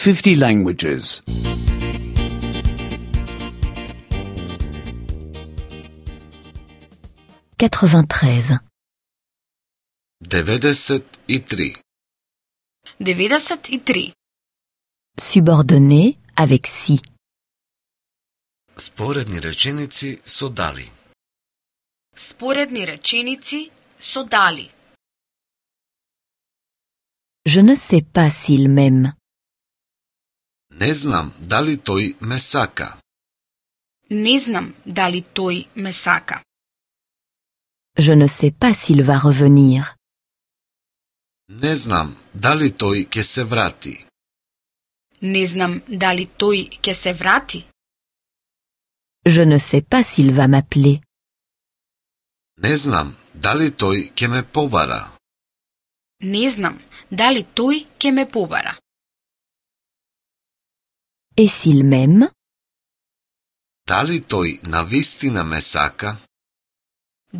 50 languages. 93. 93. 93. Subordonné avec si. Sporedni rečenici so dali. Sporedni rečenici so dali. Je ne sais pas s'il m'aime. Ne znam da li toj me saka. Ne znam da li toj me saka. Je ne sais pas s'il va revenir. Ne znam da li toj ke se vrati. Ne znam da li toj ke se vrati. Je ne sais pas s'il va m'appeler. Ne znam da li toj ke me pobara. Ne znam da li toj ke me pobara. Et s'il m'aime? Da li toj na vistina me saka?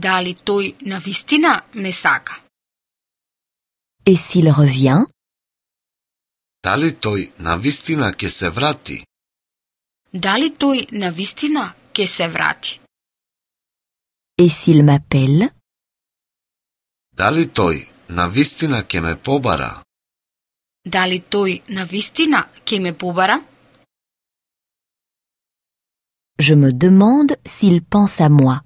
Da li toj na vistina me saka. Et s'il revient? Da li toj na vistina ke se vrati? Da li toj na vistina ke se vrati. Et s'il m'appelle? Da li toj na vistina ke me pobara? Da li toj na vistina ke me pobara. Je me demande s'il pense à moi.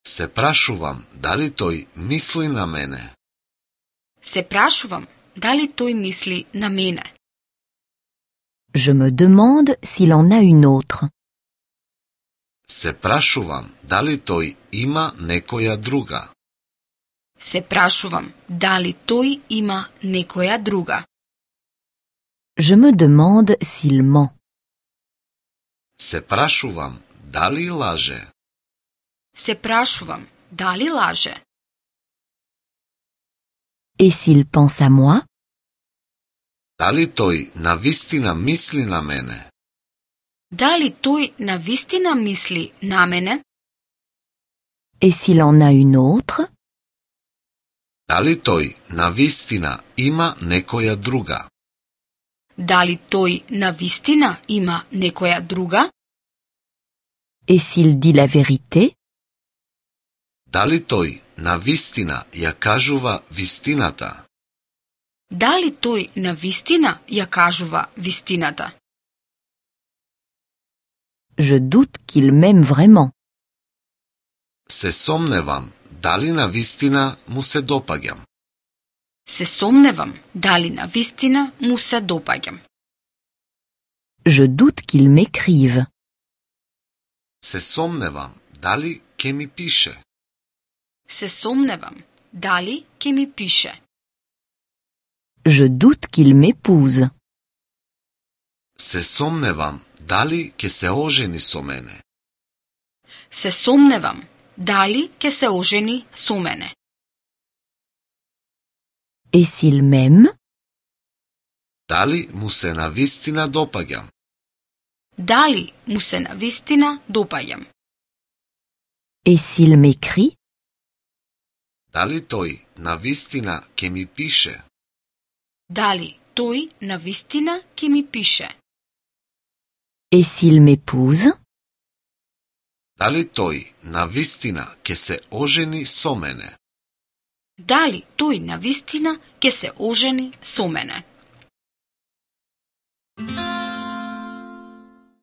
Se prašuvam da li toj misli na mene. Se prašuvam da li toj misli na mene. Je me demande s'il en a une autre. Se prašuvam da li toj ima nekoja druga. Se prašuvam da li toj ima nekoja druga. Je me demande s'il ment. Se prašuvam da li laže. Se prašuvam da li laže. Et s'il pense à moi? Da li toj na vistina misli na mene? Da li toj na vistina misli na mene. Et s'il en a une autre? Da li toj na vistina ima nekoja druga? Da li toj na vistina ima nekoja druga. Et s'il dit la vérité? Da li toj na vistina ja kažuva vistinata? Da li toj na vistina ja kažuva vistinata. Je doute qu'il m'aime vraiment. Se somnevam da li na vistina mu se dopagjam. Se somnevam da li na vistina mu se dopagjam. Je doute qu'il m'écrive. Se somnevam da li ke mi piše. Se somnevam da li ke mi piše. Je doute qu'il m'épouse. Se somnevam da li ke se oženi so mene. Se somnevam da li ke se oženi so mene. Et s'il m'aime? Da li mu se na vistina dopagjam. Da li mu se na vistina dopagjam. Et s'il m'écrit? Da li toj na vistina ke mi piše. Da li toj na vistina ke mi piše. Et s'il m'épouse? Da li toj na vistina ke se oženi so mene. Da li toj na vistina ke se oženi so mene.